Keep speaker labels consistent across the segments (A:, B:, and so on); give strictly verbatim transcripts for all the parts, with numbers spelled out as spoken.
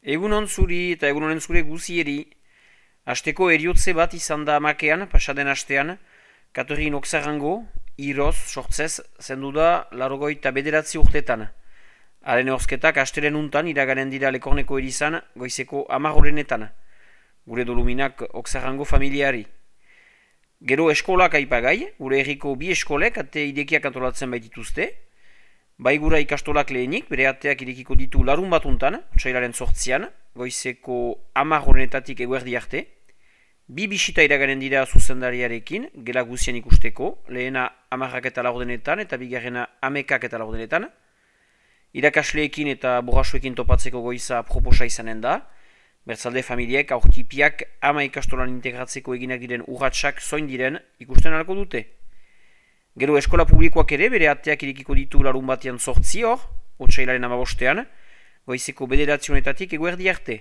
A: Egunon zuri eta egunonen zure guzieri. Asteko eriotze bat izan da amakean, pasaden astean, Katerin Oksarango, iroz, sortzez, zendu da larogoita bederatzi urtetan. Haren horzketak asteren untan iraganen dira Lekorneko erizan goizeko amagorenetan. Gure doluminak Oksarango familiari. Gero eskolak aipagai, gure herriko bi eskolek ate idekiak antolatzen baitituzte. Bai gura ikastolak lehenik, bere ateak irekiko ditu larun batuntan, otsailaren sortzian, goizeko amagorenetatik eguerdi arte. Bi bisita iraganen dira zuzendariarekin, gela guzian ikusteko, lehena amarrak eta laurdenetan eta bigarrena amekak eta laurdenetan. Irakasleekin eta borrasuekin topatzeko goiza proposa izanen da. Bertzalde familiek aurtipiak ama ikastolan integratzeko eginak diren urratsak zoin diren ikusten alko dute. Gero eskola publikoak ere bere ateak irekiko ditu larun batean sortzi hor, otsailaren amabostean, goizeko bederatzionetatik eguerdi arte.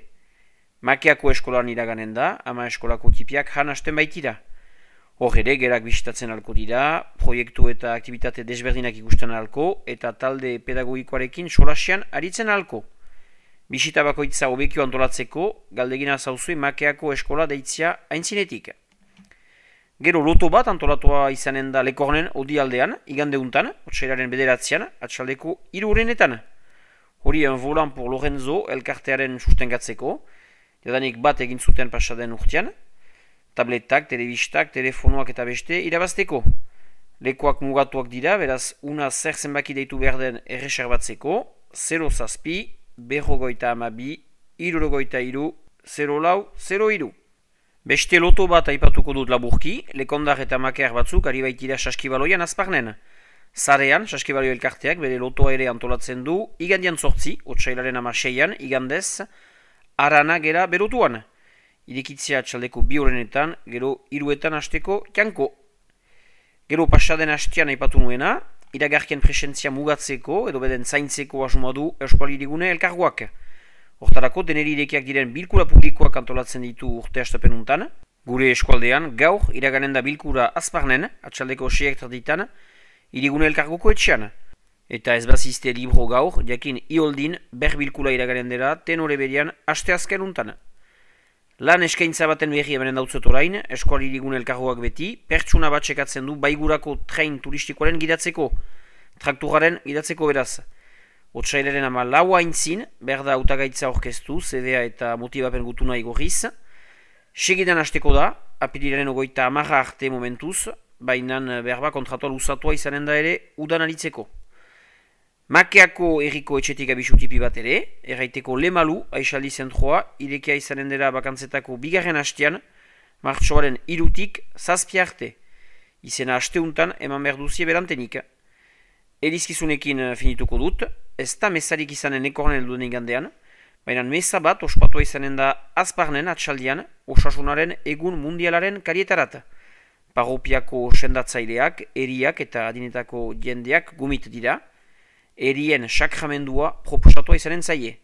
A: Makeako eskolan iraganen da, ama eskolako tipiak jan hasten baitira. Hor ere, gerak bisitatzen alko dira, proiektu eta aktivitate desberdinak ikusten alko, eta talde pedagogikoarekin solasian aritzen alko. Bisita bakoitza hobekio antolatzeko, galdegina zauzue Makeako eskola deitzia aintzinetik. Gero loto bat antolatua izanen da Lekornen odialdean, igandeuntan, otsailaren bederatzean, atxaldeko hirurenetan. Hori en volan por Lorenzo elkartearen sustengatzeko, jadanik bat egin zuten pasaden urtean, tabletak, telebistak, telefonoak eta beste irabazteko. Lekuak mugatuak dira, beraz una zer zenbaki deitu behar den erreserbatzeko, zero zazpi, berrogoita amabi, irurogoita iru, zero lau, zero iru. Beste loto bat aipatuko dut laburki, Lekondar eta Makear batzuk ari baitira saskibaloian azparnen. Zarean, saskibalio elkarteak bere lotoa ere antolatzen du, igandian sortzi, otsailaren amaseian, igandez, arana gera berotuan. Irekitzea atxaldeko bi horrenetan, gero hiruetan hasteko janko. Gero pasaden hastean aipatu nuena, iragarkien presentzia mugatzeko edo beden zaintzeko asmoa du Euskualirigune elkargoak. Hortarako, deneri irekiak diren bilkura publikoak antolatzen ditu urte hastapenuntan. Gure eskualdean, gaur iraganen da bilkura azparnen, atxaldeko seiak tarditan, irigune elkargoko etxean. Eta ez bazizte libro gaur, jakin ioldin ber bilkura iraganen dela tenore berian haste azken untan. Lan eskaintza baten berri ebenen dautzot orain, eskualirigune elkargoak beti, pertsuna bat sekatzen du baigurako train turistikoaren gidatzeko, trakturaren gidatzeko beraz. Otsailaren ama lau haintzin, berda hautagaitza orkestu, zedea eta motibapen gutuna igorriz. Segidan hasteko da, apirilaren ogoita amarra arte momentuz, bainan berba kontratual usatua izanen da ere udan aritzeko. Makeako erriko etxetik abisutipi bat ere, erraiteko Lemalu, Aixaldi zentroa, irekia izanen dela bakantzetako bigarren hastean, martxoaren irutik zazpi arte. Izena hasteuntan eman berduzie berantenik. Erizkizunekin finituko dut, ez da mesarik izanen Lekornen elduen igandean, baina mesa bat ospatua izanen da azparnen atxaldian osasunaren egun mundialaren karietarat. Parropiako sendatzaileak, eriak eta adinetako jendeak gumit dira, erien sakramendua proposatua izanen zaie.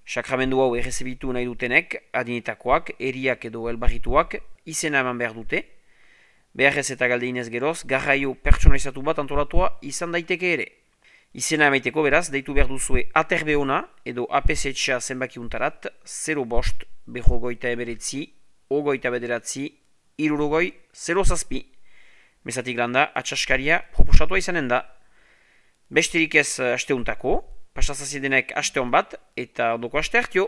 A: Sakramendua hau errezebitu nahi dutenek, adinetakoak, eriak edo elbarrituak izena eman behar dute, beharrez eta galdeinez geroz, garraio pertsonalizatu bat antolatua izan daiteke ere. Izena emaiteko beraz, deitu behar duzue aterbeona edo A P C H A zenbakiuntarat, zero bost, berrogoita eberetzi, ogoita bederatzi, irurogoi, zero zazpi. Mezatik landa, atxaskaria proposatua izanen da. Besterik ez asteuntako, pasazazidenek aste hon bat eta ondoko aste hartio.